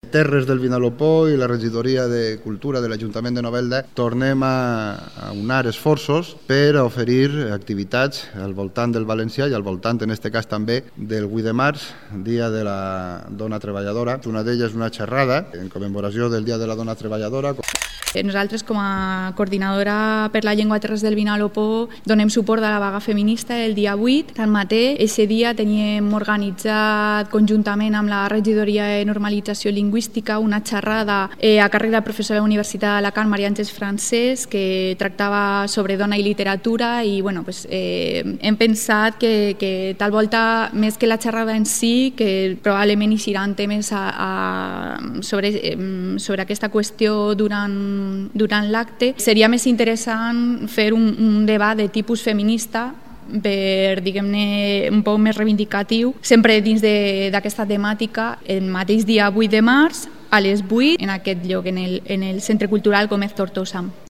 Terres del Vinalopó i la regidoria de Cultura de l'Ajuntament de Novelda tornem a unar esforços per oferir activitats al voltant del valencià i al voltant, en aquest cas també, del 8 de març, Dia de la Dona Treballadora. Una d'elles és una xerrada en commemoració del Dia de la Dona Treballadora. Nosaltres, com a coordinadora per la llengua Terres del Vinalopó, donem suport a la vaga feminista el dia 8. Tanmateix, aquest dia teníem organitzat conjuntament amb la regidoria de normalització lingüística una xerrada a càrrec de la professora de la Universitat d'Alacant, Maria Àngels Francés, que tractava sobre dona i literatura i hem pensat que tal volta, més que la xerrada en si, que probablement hi seran temes sobre aquesta qüestió durant l'acte, seria més interessant fer un debat de tipus feminista per, diguem-ne, un poc més reivindicatiu, sempre dins d'aquesta temàtica, el mateix dia 8 de març, a les 8, en aquest lloc, en el Centre Cultural Gómez Tortosa.